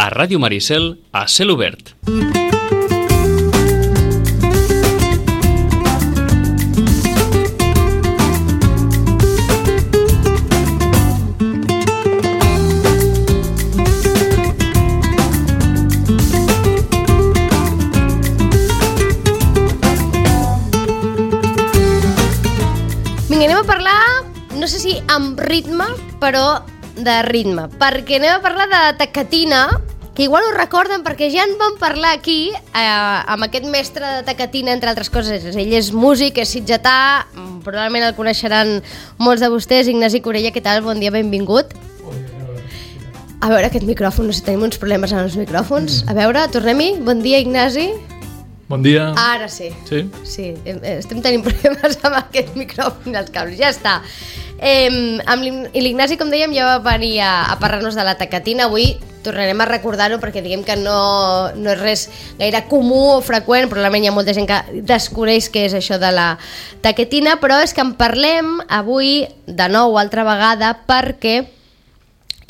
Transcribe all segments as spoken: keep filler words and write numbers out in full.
a Ràdio Maricel, a Cel Obert. Vinga, anem a parlar, no sé si amb ritme, però de ritme, perquè anem a parlar de tacatina, que igual ho recorden perquè ja en vam parlar aquí eh, amb aquest mestre de tacatina, entre altres coses. Ell és músic, és sitgetà, probablement el coneixeran molts de vostès. Ignasi Corella, què tal? Bon dia, benvingut. A veure, aquest micròfon, no sé si tenim uns problemes amb els micròfons. A veure, tornem-hi. Bon dia, Ignasi. Bon dia. Ara sí. Sí? Sí, estem tenint problemes amb aquest micròfon i els cables. Ja està. Eh, amb l'Ignasi, com dèiem, ja va venir a, a parlar-nos de la tacatina. Avui tornarem a recordar-ho perquè diguem que no, no és res gaire comú o freqüent, probablement hi ha molta gent que desconeix què és això de la tacatina, però és que en parlem avui de nou altra vegada perquè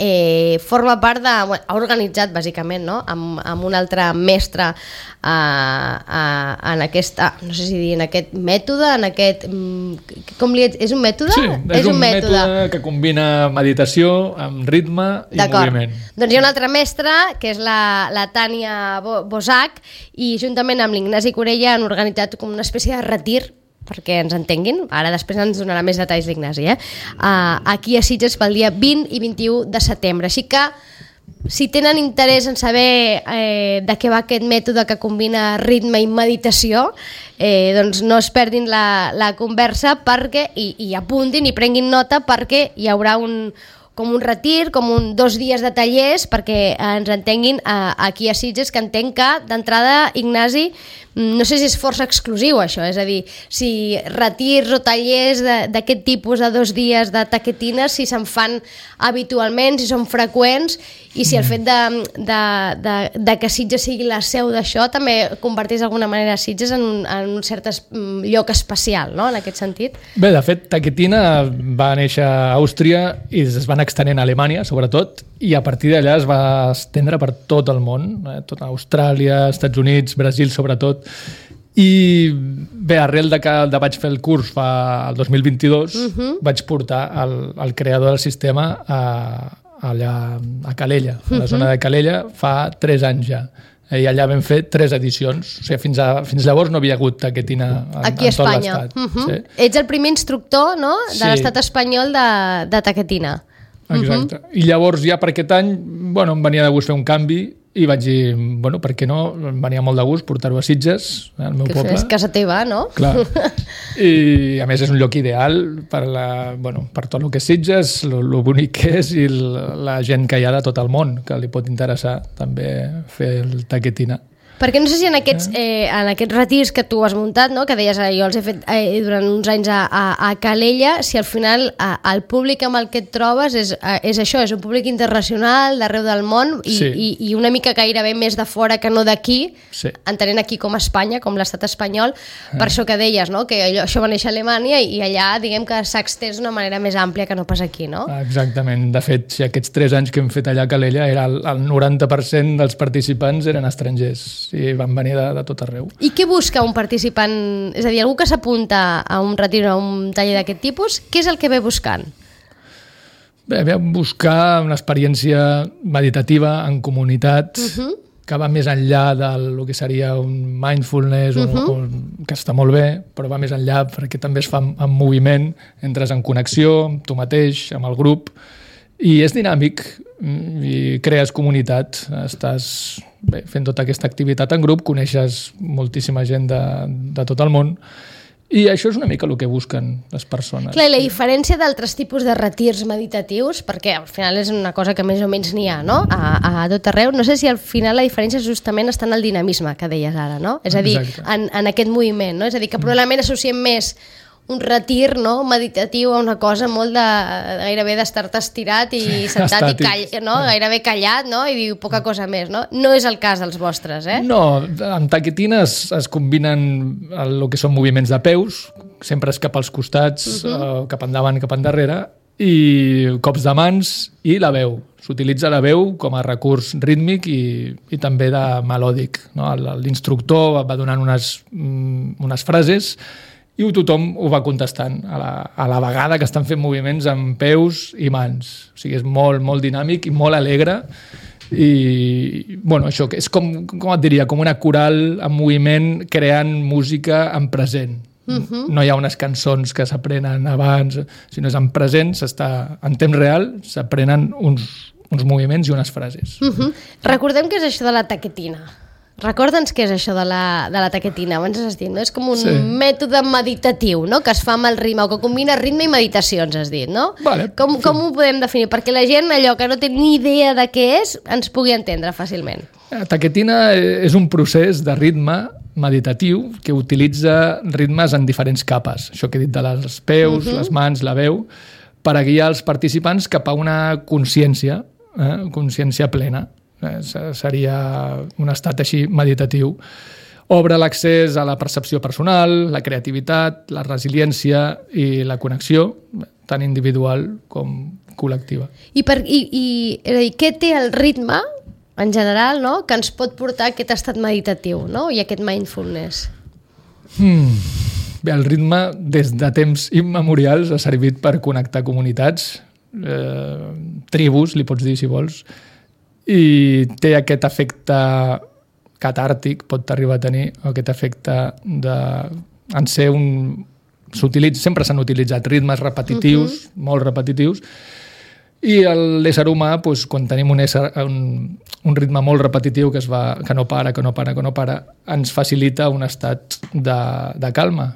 Eh, forma part de... Bueno, ha organitzat, bàsicament, no? amb, amb un altre mestre eh, eh, en aquesta... No sé si dir, en aquest mètode, en aquest... Com li... És un mètode? Sí, és, és un, un mètode. mètode que combina meditació amb ritme i moviment. Doncs hi ha un altre mestre, que és la, la Tània Bosac, i juntament amb l'Ignasi Corella han organitzat com una espècie de retir, perquè ens entenguin, ara després ens donarà més detalls l'Ignasi, eh? Uh, aquí a Sitges pel dia vint i vint-i-u de setembre. Així que, si tenen interès en saber eh, de què va aquest mètode que combina ritme i meditació, eh, doncs no es perdin la, la conversa perquè, i, i apuntin i prenguin nota perquè hi haurà un, com un retir, com un dos dies de tallers, perquè ens entenguin eh, aquí a Sitges, que entenc que d'entrada, Ignasi, no sé si és força exclusiu això, és a dir, si retirs o tallers d'aquest tipus de dos dies de taquetina, si se'n fan habitualment, si són freqüents, i si el fet de, de, de, de que Sitges sigui la seu d'això també converteix d'alguna manera Sitges en un, en un cert es, lloc especial, no?, en aquest sentit. Bé, de fet, taquetina va néixer a Àustria i es van extenent a Alemanya, sobretot, i a partir d'allà es va estendre per tot el món, eh? Tot Austràlia, Estats Units, Brasil sobretot, i bé, arrel de que de vaig fer el curs fa el dos mil vint-i-dos, uh-huh. vaig portar el, el creador del sistema a, allà a Calella, a la uh-huh. zona de Calella, fa tres anys ja. I allà vam fer tres edicions. O sigui, fins, a, fins llavors no havia hagut taquetina en, aquí a en tot Espanya. l'estat. Uh-huh. Sí. Ets el primer instructor, no?, de sí. l'estat espanyol de, de taquetina. Exacte. Uh-huh. I llavors ja per aquest any, bueno, em venia de gust fer un canvi i vaig dir, bueno, per què no? Em venia molt de gust portar-ho a Sitges, al meu que poble. És casa teva, no? Clar. I a més és un lloc ideal per, la, bueno, per tot el que és Sitges, el bonic que és i la, la gent que hi ha de tot el món, que li pot interessar també fer el taquetina. Perquè no sé si en aquests, eh, en aquests retirs que tu has muntat, no?, que deies, eh, jo els he fet eh, durant uns anys a, a, a Calella, si al final eh, el públic amb el que et trobes és, eh, és això, és un públic internacional d'arreu del món i, sí. i, i una mica gairebé més de fora que no d'aquí, sí. entenent aquí com Espanya, com l'estat espanyol, per això que deies, no?, que allò, això va néixer a Alemanya i, i allà, diguem que s'ha extès d'una manera més àmplia que no pas aquí, no? Exactament. De fet, si aquests tres anys que hem fet allà a Calella, era el, el noranta per cent dels participants eren estrangers i van venir de, de tot arreu. I què busca un participant? És a dir, algú que s'apunta a un retir o a un taller d'aquest tipus, què és el que ve buscant? Bé, ve a buscar una experiència meditativa en comunitat, uh-huh. que va més enllà del que seria un mindfulness, uh-huh. o, o, que està molt bé, però va més enllà perquè també es fa en, en moviment, entres en connexió amb tu mateix, amb el grup, i és dinàmic i crees comunitat, estàs bé, fent tota aquesta activitat en grup, coneixes moltíssima gent de, de tot el món i això és una mica el que busquen les persones. Clar, la diferència d'altres tipus de retirs meditatius, perquè al final és una cosa que més o menys n'hi ha, no?, a, a tot arreu, no sé si al final la diferència justament està en el dinamisme que deies ara, no? És a dir, en, en aquest moviment, no? És a dir, que probablement associem més un retir, no?, meditatiu a una cosa molt de gairebé d'estar-te estirat i sí, sentat estàtic. I call, no? Gairebé callat, no?, i diu poca cosa més, no? No és el cas dels vostres, eh? No, amb taquetina es, es combinen el que són moviments de peus, sempre és cap als costats, uh-huh. eh, cap endavant, cap endarrere, i cops de mans i la veu. S'utilitza la veu com a recurs rítmic i, i també de melòdic. No? L'instructor va donant unes, unes frases i tothom ho va contestant a la, a la vegada que estan fent moviments amb peus i mans. O sigui, és molt, molt dinàmic i molt alegre i, bueno, això és com, com et diria, com una coral en moviment creant música en present. Uh-huh. No hi ha unes cançons que s'aprenen abans, sinó és en present, s'està, en temps real, s'aprenen uns, uns moviments i unes frases. Uh-huh. Recordem què és això de la taquetina. Recorda'ns què és això de la, de la taquetina, abans has dit, no? És com un sí. mètode meditatiu, no? Que es fa amb el ritme, o que combina ritme i meditacions, has dit, no? Vale, com, sí. com ho podem definir? Perquè la gent, allò que no té ni idea de què és, ens pugui entendre fàcilment. La taquetina és un procés de ritme meditatiu que utilitza ritmes en diferents capes. Això que he dit de les peus, uh-huh. les mans, la veu, per a guiar els participants cap a una consciència, eh? consciència plena. Eh, seria un estat així meditatiu. Obre l'accés a la percepció personal, la creativitat, la resiliència i la connexió, tant individual com col·lectiva. I, per, i, i és a dir, què té el ritme, en general, no?, que ens pot portar a aquest estat meditatiu, no?, i aquest mindfulness? Hmm. Bé, el ritme, des de temps immemorials, ha servit per connectar comunitats, eh, tribus, li pots dir, si vols, i té aquest efecte catàrtic, pot arribar a tenir, aquest efecte de... en ser un... s'utilitza, sempre s'han utilitzat ritmes repetitius, uh-huh. molt repetitius, i l'ésser humà, doncs, quan tenim un, ésser, un, un ritme molt repetitiu que, es va, que no para, que no para, que no para, ens facilita un estat de, de calma,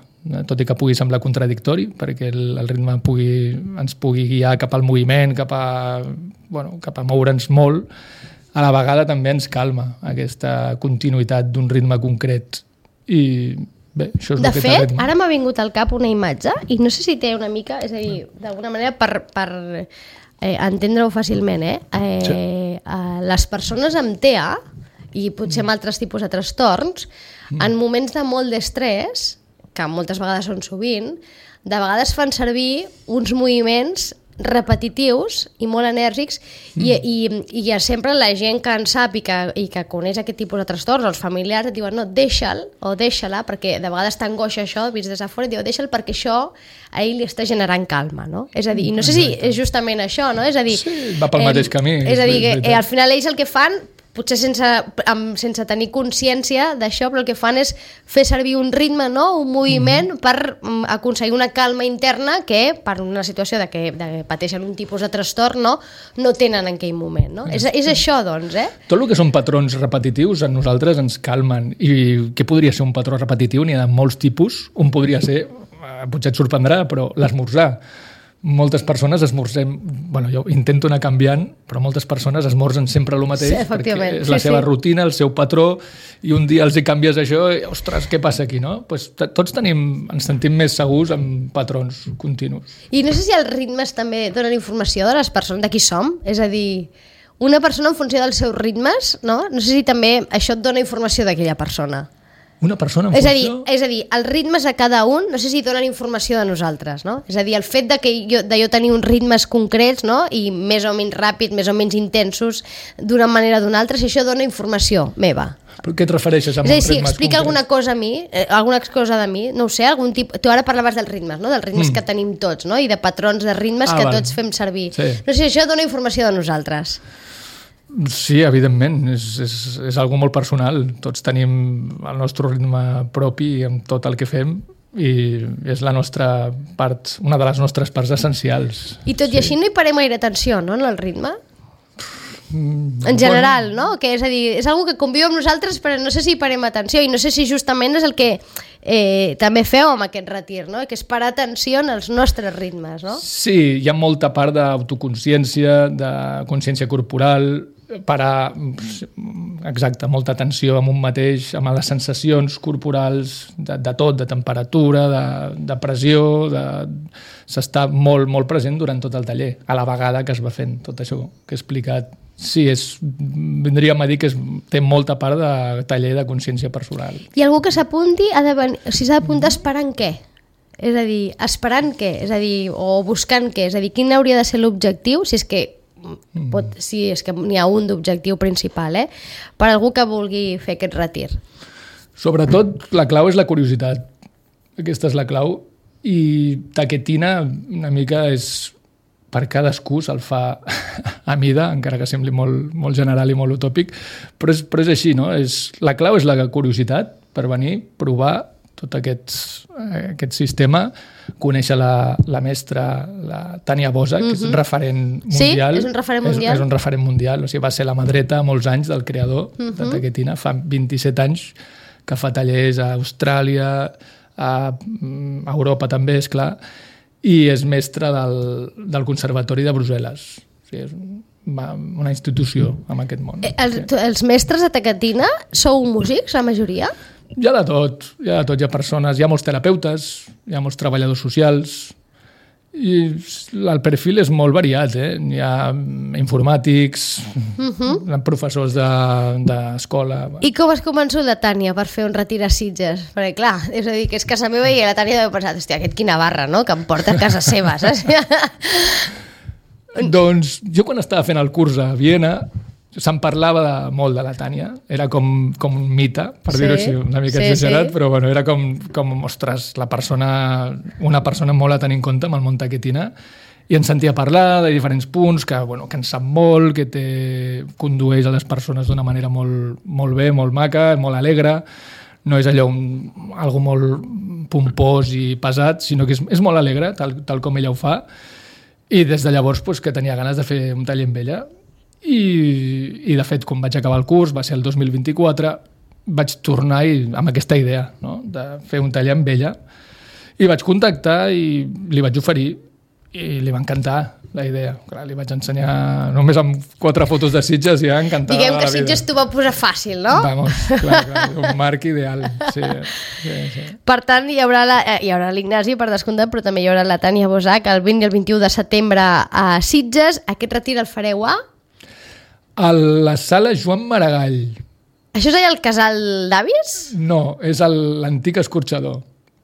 tot i que pugui semblar contradictori, perquè el, el ritme pugui, ens pugui guiar cap al moviment, cap a, bueno, cap a moure'ns molt, a la vegada també ens calma aquesta continuïtat d'un ritme concret. I bé, això és de el que fet, ara m'ha vingut al cap una imatge, i no sé si té una mica, és a dir, d'alguna manera per, per eh, entendre-ho fàcilment, eh? Eh, sí. eh, les persones amb T E A, i potser amb altres tipus de trastorns, mm. en moments de molt d'estrès, que moltes vegades són sovint, de vegades fan servir uns moviments repetitius i molt enèrgics mm. i, i, i sempre la gent que en sap i que, i que coneix aquest tipus de trastorns, els familiars et diuen no, deixa'l o deixa-la, perquè de vegades t'angoixa això, vist des de fora, i diu deixa'l perquè això a ell li està generant calma, no? És a dir, no sé si és justament això, no? És a dir, sí, va pel eh, mateix camí. És a dir, que eh, al final ells el que fan, potser sense, amb, sense tenir consciència d'això, però el que fan és fer servir un ritme, no? Un moviment mm. per um, aconseguir una calma interna que per una situació de que, de que pateixen un tipus de trastorn no, no tenen en aquell moment. No? Mm. És, és això, doncs, eh? Tot el que són patrons repetitius a nosaltres ens calmen. I què podria ser un patró repetitiu? N'hi ha de molts tipus. Un podria ser, potser et sorprendrà, però l'esmorzar. Moltes persones esmorzem, bueno, jo intento anar canviant, però moltes persones esmorzen sempre el mateix, sí, perquè és la sí, seva sí. rutina, el seu patró, i un dia els hi canvies això i, ostres, què passa aquí, no? Pues, tots tenim, ens sentim més segurs amb patrons continus. I no sé si els ritmes també donen informació de les persones, de qui som, és a dir, una persona en funció dels seus ritmes, no? No sé si també això et dona informació d'aquella persona. Una persona en és funció... A dir, és a dir, els ritmes a cada un, no sé si donen informació de nosaltres, no? És a dir, el fet de, que jo, de jo tenir uns ritmes concrets, no? I més o menys ràpids, més o menys intensos, d'una manera o d'una altra, si això dona informació meva. Però què et refereixes amb és a dir, uns si ritmes explica concrets? alguna cosa a mi, eh, alguna cosa de mi, no ho sé, algun tipus... Tu ara parlaves dels ritmes, no? Dels ritmes mm. que tenim tots, no? I de patrons de ritmes ah, que vale. tots fem servir. Sí. No sé si això dona informació de nosaltres. Sí, evidentment, és, és, és algo molt personal. Tots tenim el nostre ritme propi amb tot el que fem i és la nostra part, una de les nostres parts essencials. I tot sí. i així no hi parem gaire atenció, no, en el ritme? Mm, en general, bueno. no? Que és a dir, és algo que conviu amb nosaltres, però no sé si hi parem atenció i no sé si justament és el que eh, també feu amb aquest retir, no? Que és parar atenció en els nostres ritmes, no? Sí, hi ha molta part d'autoconsciència, de consciència corporal, parar, exacte, molta atenció amb un mateix, amb les sensacions corporals de, de tot, de temperatura, de, de pressió, de... s'està molt, molt present durant tot el taller, a la vegada que es va fent tot això que he explicat. Sí, és, vindríem a dir que és, té molta part de taller de consciència personal. I algú que s'apunti, ha de venir, si s'ha d'apuntar esperant què? És a dir, esperant què? És a dir, o buscant què? És a dir, quin hauria de ser l'objectiu, si és que pot, si és que n'hi ha un d'objectiu principal, eh? Per algú que vulgui fer aquest retir. Sobretot, la clau és la curiositat. Aquesta és la clau. I Taketina, una mica, és per cadascú se'l fa a mida, encara que sembli molt, molt general i molt utòpic, però és, però és així, no? És, la clau és la curiositat per venir, provar tot aquest, aquest sistema, conèixer la, la mestra, la Tania Bosa, que és un referent mundial. Sí, és un referent mundial. És, és un referent mundial, o sigui, va ser la mà dreta molts anys del creador uh-huh. de Taketina, fa vint-i-set anys que fa tallers a Austràlia, a Europa també, és clar, i és mestre del, del Conservatori de Brussel·les. O sigui, és una institució en aquest món. Els, els mestres de Taketina sou músics, la majoria? Hi ha de tot, hi ha de tot. Hi ha persones, hi ha molts terapeutes, hi ha molts treballadors socials, i el perfil és molt variat, eh? Hi ha informàtics, uh-huh. professors d'escola... De, I com has convençut la Tània per fer un retir a Sitges? Perquè clar, és a dir, que és casa meva i la Tània deu pensar, hòstia, aquest quina barra, no?, que em porta a casa seva, saps? Doncs jo quan estava fent el curs a Viena se'n parlava de, molt de la Tània, era com, com un mite, per sí, dir-ho així, una mica sí, exagerat, sí. Però bueno, era com, com, ostres, la persona, una persona molt a tenir en compte amb el món Taketina, i ens sentia parlar de diferents punts, que, bueno, que en sap molt, que té, condueix a les persones d'una manera molt, molt bé, molt maca, molt alegre, no és allò un, algo molt pompós i pesat, sinó que és, és molt alegre, tal, tal com ella ho fa, i des de llavors pues, que tenia ganes de fer un taller amb ella. I, i de fet, quan vaig acabar el curs, va ser el dos mil vint-i-quatre, vaig tornar i, amb aquesta idea, no?, de fer un taller amb ella, i vaig contactar i li vaig oferir i li va encantar la idea. Clar, li vaig ensenyar només amb quatre fotos de Sitges i ja encantada. Diguem que la vida. Sitges t'ho va posar fàcil, no? Vamos, clar, clar, un marc ideal. Sí, sí, sí. Per tant, hi haurà la, eh, hi haurà l'Ignasi, per descomptat, però també hi haurà la Tània Bosac el vint i el vint-i-u de setembre a Sitges. Aquest retir el fareu a? A la sala Joan Maragall. Això és allà el casal d'avis? No, és l'antic escorxador.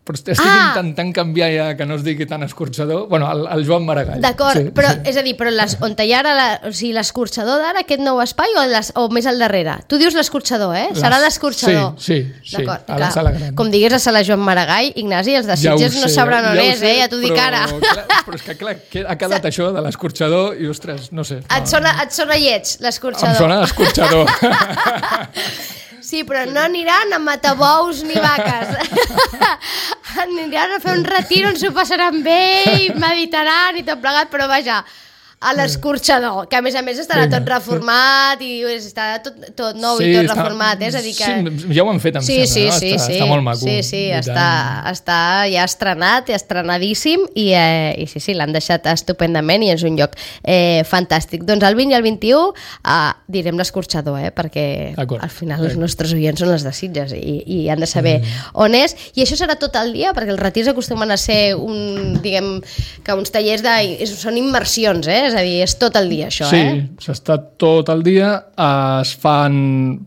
Però estic ah. intentant canviar ja, que no es digui tan escorxador. Bueno, el, el Joan Maragall. D'acord, sí, però sí. És a dir, però les, on hi ha ara la, o sigui, l'escorxador d'ara, aquest nou espai, o, les, o més al darrere? Tu dius l'escorxador, eh? Les... Serà l'escorxador. Sí, sí, sí, a la sala gran. Com digués a sala Joan Maragall, Ignasi, els de Sitges ja no sabran on ja és, sé, eh? Ja t'ho dic ara. Clar, però és que clar, ha quedat S això de l'escorxador i, ostres, no sé. Et sona, et sona lleig, l'escorxador. Em sona l'escorxador. Sí, però no aniran a matar bous ni vaques. Aniran a fer un retir on s'ho passaran bé i meditaran i tot plegat, però vaja, a l'escorxador, que a més a més estarà tot reformat i estarà tot, tot nou sí, i tot està, reformat, eh? És a dir que... Sí, ja ho han fet, em sí, sembla, sí, no? Sí, està, sí, està molt maco. Sí, sí, està, està ja estrenat, estrenadíssim i, eh, i sí, sí, l'han deixat estupendament i és un lloc eh, fantàstic. Doncs el vint i el vint-i-u eh, direm l'escorxador, eh? Perquè al final els nostres oients són els de Sitges i, i han de saber mm. on és. I això serà tot el dia, perquè els retirs acostumen a ser un, diguem, que uns tallers de, són immersions, eh? És a dir, és tot el dia això, sí, eh? Sí, s'està tot el dia, es fan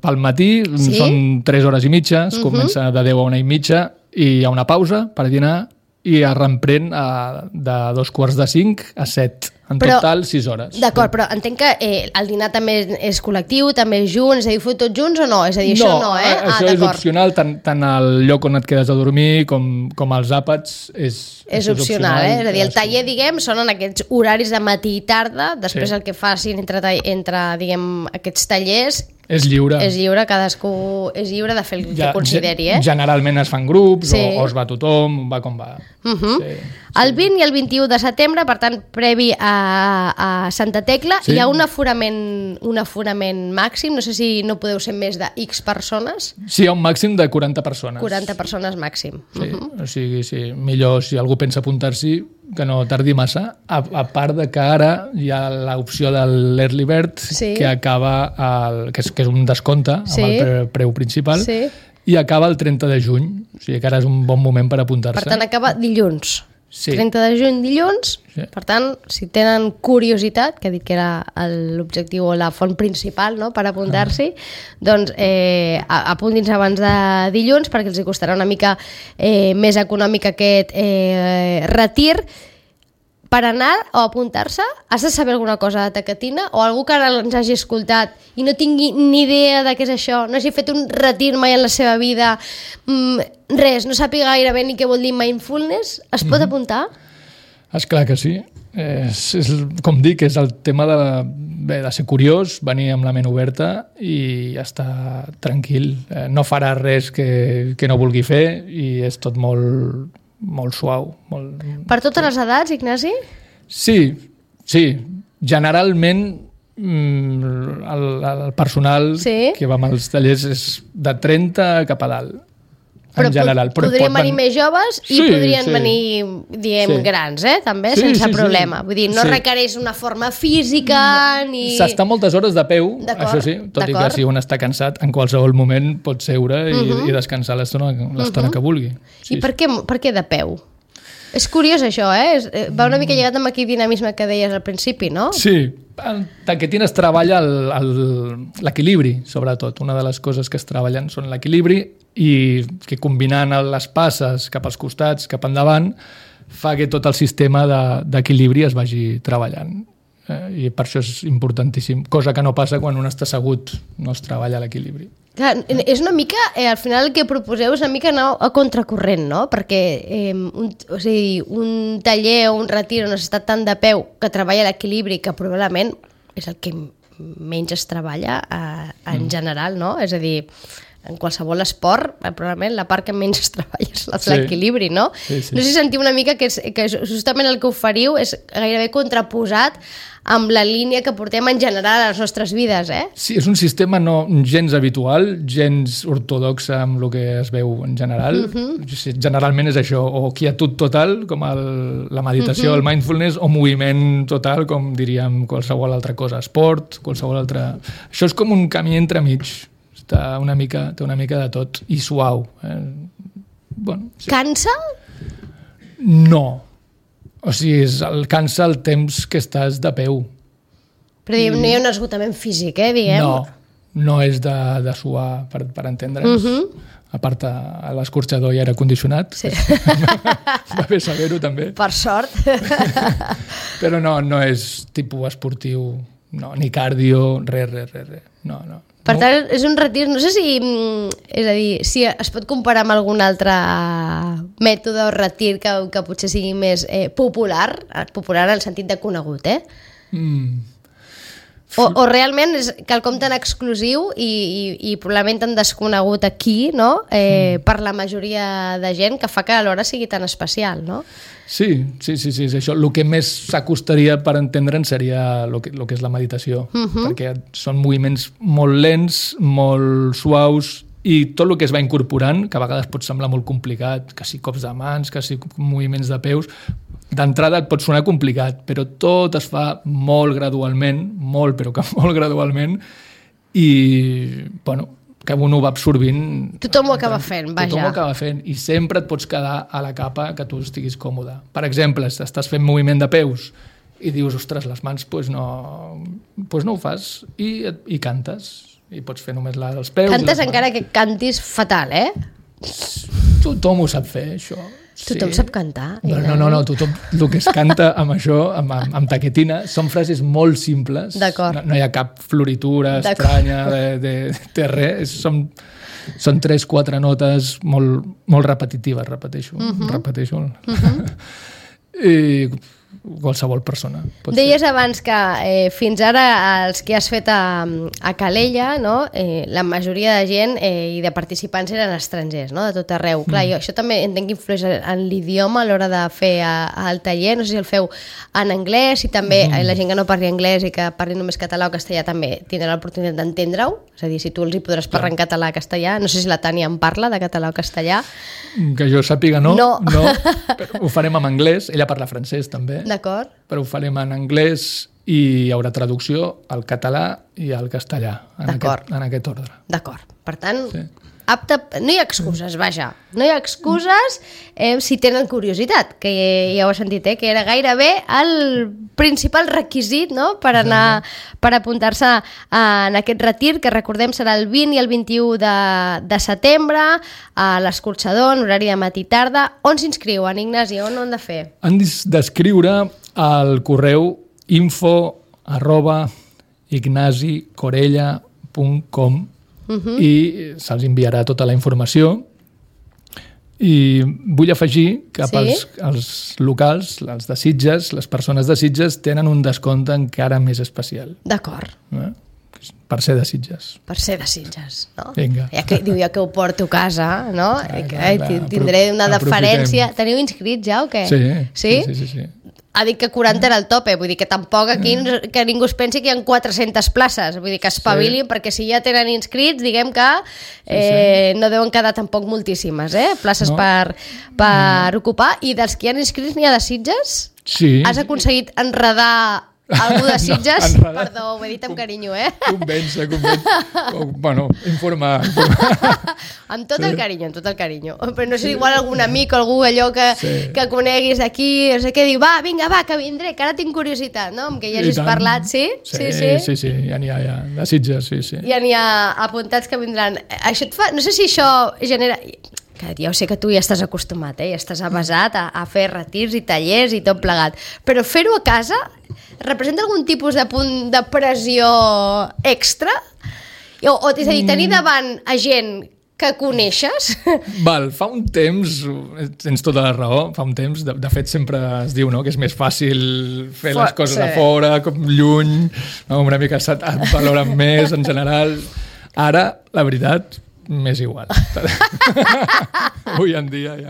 pel matí, sí? Són tres hores i mitja, es uh-huh. comença de deu a una i mitja i hi ha una pausa per dinar i es reemprèn a, de dos quarts de cinc a set. En però, total, sis hores. D'acord, però entenc que eh, el dinar també és col·lectiu, també és junt, és a dir, feu tots junts o no? És a dir, això no, no eh? Això ah, és opcional, tant, tant el lloc on et quedes a dormir com, com els àpats és, és, és opcional, opcional, eh? És a dir, el taller, diguem, són en aquests horaris de matí i tarda, després sí. El que facin entre, entre diguem, aquests tallers... És lliure. És lliure, cadascú és lliure de fer el ja, que consideri, eh? Generalment es fan grups, sí. o, o es va tothom, va com va. Uh-huh. Sí, el vint i el vint-i-u de setembre, per tant, previ a, a Santa Tecla, sí. Hi ha un aforament, un aforament màxim, no sé si no podeu ser més de X persones. Sí, hi ha un màxim de quaranta persones. quaranta persones màxim. Sí, uh-huh. O sigui, sí, millor si algú pensa apuntar-s'hi, que no tardi massa, a, a part de que ara hi ha l'opció de l'Early Bird, sí. Que acaba, el, que, és, que és un descompte amb sí. El pre, preu principal, sí. I acaba el trenta de juny, o sigui que ara és un bon moment per apuntar-se. Per tant, acaba dilluns. Sí. trenta de juny, dilluns. Sí. Per tant, si tenen curiositat, que he dit que era l'objectiu o la font principal, no?, per apuntar-s'hi, ah. doncs eh, apuntin-se abans de dilluns perquè els hi costarà una mica eh, més econòmic aquest eh, retir. Per anar o apuntar-se, has de saber alguna cosa de taquetina o algú que ara ens hagi escoltat i no tingui ni idea de què és això, no hagi fet un retir mai en la seva vida, mmm, res, no sàpiga gaire bé ni què vol dir mindfulness, es pot mm-hmm. apuntar? Esclar que sí. És, és, com dic, és el tema de, bé, de ser curiós, venir amb la ment oberta i estar tranquil. Eh, no farà res que, que no vulgui fer i és tot molt... molt suau. Molt... Per totes les edats, Ignasi? Sí, sí. Generalment el, el personal sí? que va als tallers és de trenta cap a dalt, però en general. Però podrien venir més joves i sí, podrien sí. venir, diem, sí. grans, eh? també, sí, sense sí, problema. Sí. Vull dir, no sí. requereix una forma física ni... S'està moltes hores de peu, això sí, tot i que si un està cansat, en qualsevol moment pot seure i, uh-huh. i descansar l'estona uh-huh. que vulgui. Sí, I per què, per què de peu? És curiós això, eh? Va una mica lligat amb aquell dinamisme que deies al principi, no? Sí, en taquetina es treballa l'equilibri, sobretot. Una de les coses que es treballen són l'equilibri i que combinant les passes cap als costats, cap endavant, fa que tot el sistema d'equilibri es vagi treballant. Eh, I per això és importantíssim. Cosa que no passa quan un està assegut, no es treballa l'equilibri. Clar, és una mica, eh, al final el que proposeu és una mica anar a contracorrent, no? Perquè eh, un, o sigui, un taller o un retir on has estat tant de peu que treballa l'equilibri, que probablement és el que menys es treballa eh, en mm. general, no? És a dir, en qualsevol esport, probablement la part que menys es treballa és l'equilibri, sí. no? Sí, sí. No sé si sentiu una mica que, és, que justament el que oferiu és gairebé contraposat amb la línia que portem en general a les nostres vides, eh? Sí, és un sistema no gens habitual, gens ortodoxe amb el que es veu en general. Uh-huh. Generalment és això, o quietud total, com el, la meditació, uh-huh. el mindfulness, o moviment total, com diríem qualsevol altra cosa, esport, qualsevol altra... Això és com un camí entremig. Està una mica, té una mica de tot i suau. Eh? Bueno, sí. Cansa? No. O sigui, és el, cansa el temps que estàs de peu. Però diguem, no hi ha un esgotament físic, eh, diguem? No, no és de, de suar, per, per entendre'ns. Uh-huh. A part, a l'escorxador hi era condicionat. Sí. Va bé saber-ho, també. Per sort. Però no, no és tipus esportiu, no, ni cardio, res, res, res, res. No, no. Per tant, és un retir, no sé si, és a dir, si es pot comparar amb algun altre mètode o retir que, que potser sigui més eh, popular, popular en el sentit de conegut, eh? Mm. O, o realment és quelcom tan exclusiu i, i, i probablement tan desconegut aquí, no? Eh, mm. per la majoria de gent, que fa que alhora sigui tan especial, no? Sí, sí, sí, sí, és això. El que més s'acostaria per entendre'n seria el que, el que és la meditació, uh-huh. perquè són moviments molt lents, molt suaus, i tot el que es va incorporant, que a vegades pot semblar molt complicat, que si cops de mans, que si moviments de peus, d'entrada et pot sonar complicat, però tot es fa molt gradualment, molt, però que molt gradualment, i, bueno, que un ho va absorbint... Tothom ho acaba fent, vaja. Tothom ho acaba fent, i sempre et pots quedar a la capa que tu estiguis còmode. Per exemple, si estàs fent moviment de peus i dius, ostres, les mans, doncs no, pues no ho fas, i, i cantes, i pots fer només la dels peus... Cantes encara que cantis fatal, eh? Tothom ho sap fer, això. Tothom sí. sap cantar. No, no, no, no, tothom, el que es canta amb això, amb, amb, amb taquetina, són frases molt simples. D'acord. No, no hi ha cap floritura estranya, de, de, de res. Són, són tres, quatre notes molt, molt repetitives, repeteixo. Uh-huh. repeteixo. Uh-huh. I qualsevol persona. Deies ser. abans que eh, fins ara els que has fet a, a Calella, no? eh, la majoria de gent eh, i de participants eren estrangers, no? De tot arreu. Mm. Clar, jo, això també entenc que influeix en l'idioma a l'hora de fer a, a el taller. No sé si el feu en anglès i també mm. eh, la gent que no parli anglès i que parli només català o castellà també tindrà l'oportunitat d'entendre-ho. És a dir, si tu els hi podràs parlar en català o castellà. No sé si la Tània en parla de català o castellà. Que jo sàpiga no. No. no però ho farem en anglès. Ella parla francès també. D'acord. Però ho farem en anglès i hi haurà traducció al català i al castellà, en, aquest, en aquest ordre. D'acord. Per tant, sí. apte... No hi ha excuses, vaja. No hi ha excuses eh, si tenen curiositat, que ja ho he sentit, eh, que era gairebé el principal requisit, no?, per anar, per apuntar-se en aquest retir, que recordem serà el vint i el vint-i-u de, de setembre, a l'Escorxador, en horari de matí i tarda. On s'inscriuen, Ignasi? On ho han de fer? Han d'escriure al correu info arroba ignasicorella punt com uh-huh. i se'ls enviarà tota la informació. I vull afegir que sí? pels els locals, els de Sitges, les persones de Sitges tenen un descompte encara més especial. D'acord. Eh? Per ser de Sitges. Per ser de Sitges, no? Vinga. Ja que, diu, ja que ho porto a casa, no? Clar, que, clar, clar. Tindré una deferència. Aprofitem. Teniu inscrits ja o què? Sí. Sí? Sí, sí, sí. Ha dit que quaranta era el tope, vull dir que tampoc aquí que ningú es pensi que hi ha quatre-centes places, vull dir que espavilin, sí. perquè si ja tenen inscrits, diguem que eh, sí, sí. no deuen quedar tampoc moltíssimes, eh? Places no. per, per no. ocupar. I dels que hi ha inscrits n'hi ha de Sitges? Sí. Has aconseguit enredar algú de Sitges? No, perdó, ho he dit amb carinyo, eh? Convèncer, convèncer. Bueno, informar. informar. Amb tot el carinyo, amb tot el carinyo. Però no sé, igual algun amic o algú allò que, sí. que coneguis d'aquí, no sé què, diu, va, vinga, va, que vindré, que ara tinc curiositat, no? Amb que ja hagis parlat, sí? Sí, sí, sí, sí, ja n'hi ha, ja. De Sitges, sí, sí. Ja n'hi ha apuntats que vindran. Això et fa... No sé si això genera... Que ja ho sé que tu ja estàs acostumat, eh? Ja estàs avasat a, a fer retirs i tallers i tot plegat. Però fer-ho a casa representa algun tipus de punt de pressió extra? O, o és a dir, tenir davant a gent que coneixes? Val, fa un temps, tens tota la raó, fa un temps, de, de fet sempre es diu, no?, que és més fàcil fer les coses sí. a fora, com lluny, no? Una mica et valoren més en general. Ara, la veritat, m'és igual. Avui en dia ja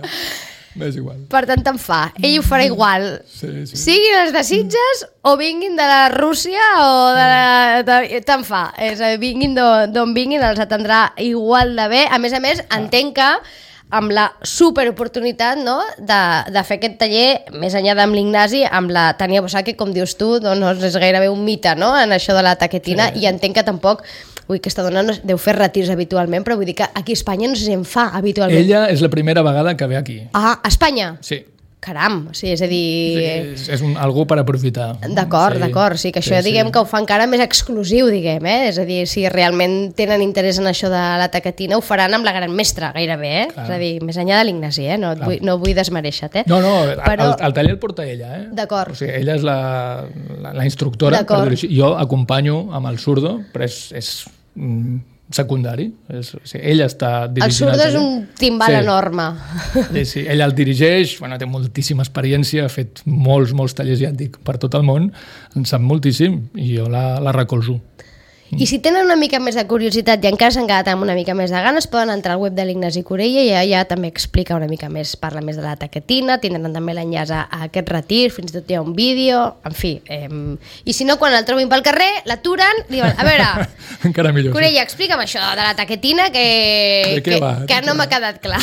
m'és igual. Per tant, te'n fa. Ell ho farà igual. Sí, sí. Siguin els de Sitges o vinguin de la Rússia o de la... De... Te'n fa. És a dir, vinguin d'on vinguin, els atendrà igual de bé. A més a més, entenc que amb la superoportunitat, no?, de, de fer aquest taller, més enllà d'amb l'Ignasi, amb la Tània Bosac, que com dius tu, doncs és gairebé un mite, no?, en això de la taquetina, sí. I entenc que tampoc... Ui, aquesta dona no deu fer retirs habitualment, però vull dir que aquí a Espanya no sé si en fa habitualment. Ella és la primera vegada que ve aquí. Ah, a Espanya? Sí. Caram, sí, és a dir... Sí, és, és un, algú per aprofitar. D'acord, sí, d'acord, sí, que això sí, diguem sí. que ho fa encara més exclusiu, diguem, eh? És a dir, si realment tenen interès en això de la taquetina, ho faran amb la gran mestra, gairebé, eh? Clar. És a dir, més enllà de l'Ignasi, eh? No, vull, no vull desmereixer-te, eh? No, no, però... el, el taller el porta ella, eh? D'acord. O sigui, ella és la, la, la instructora, per dir-ho així. Jo acompanyo amb el surdo, però és... és mm, secundari, és, o sigui, ella està dirigint... El surdo és un timbal sí. enorme. Sí, sí, ella el dirigeix, bueno, té moltíssima experiència, ha fet molts, molts tallers, ja et dic, per tot el món, en sap moltíssim i jo la, la recolzo. I si tenen una mica més de curiositat i encara s'han quedat amb una mica més de ganes, poden entrar al web de l'Ignasi Corella i allà també explica una mica més, parla més de la taquetina, tindran també l'enllaç a, a aquest retir, fins i tot hi ha un vídeo, en fi. Eh, I si no, quan el trobin pel carrer, l'aturen, diuen, a veure, encara millor, Corella, sí. explica'm això de la taquetina que, que, va, que no m'ha quedat clar.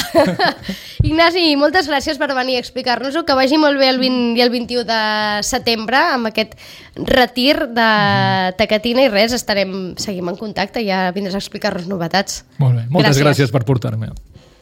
Ignasi, moltes gràcies per venir a explicar-nos-ho, que vagi molt bé el vint i el vint-i-u de setembre amb aquest retir de taquetina i res, estarem seguim en contacte i ja vindràs a explicar-nos novetats. Molt bé, moltes gràcies, gràcies per portar-me.